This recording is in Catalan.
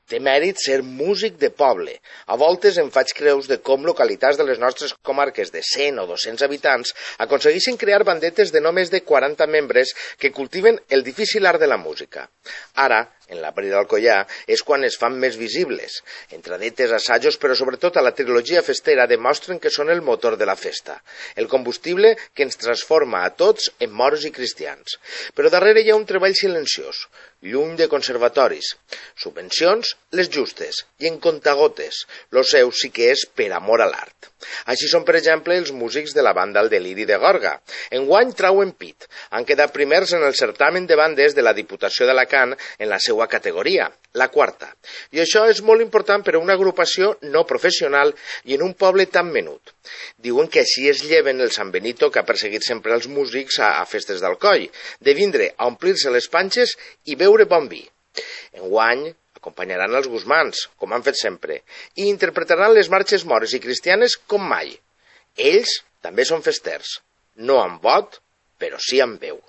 Té mèrit ser músic de poble. A voltes em faig creus de com localitats de les nostres comarques de 100 o 200 habitants aconsegueixen crear bandetes de només de 40 membres que cultiven el difícil art de la música. Ara, en la Brida d'Alcoià, és quan es fan més visibles. Entradetes, assajos, però sobretot a la trilogia festera demostren que són el motor de la festa, el combustible que ens transforma a tots en moros i cristians. Però darrere hi ha un treball silenciós, lluny de conservatoris, subvencions, les justes, i en contagotes, lo seu sí que és per amor a l'art. Així són, per exemple, els músics de la banda El Deliri de Gorga. Enguany trauen pit, han quedat primers en el certamen de bandes de la Diputació d'Alacant en la seva categoria, la quarta. I això és molt important per a una agrupació no professional i en un poble tan menut. Diuen que així es lleven el San Benito que ha perseguit sempre els músics a festes d'Alcoi, de vindre a omplir-se les panxes i beure bon vi. Enguany acompanyaran els Guzmans, com han fet sempre, i interpretaran les marxes mores i cristianes com mai. Ells també són festers, no amb vot, però sí amb veu.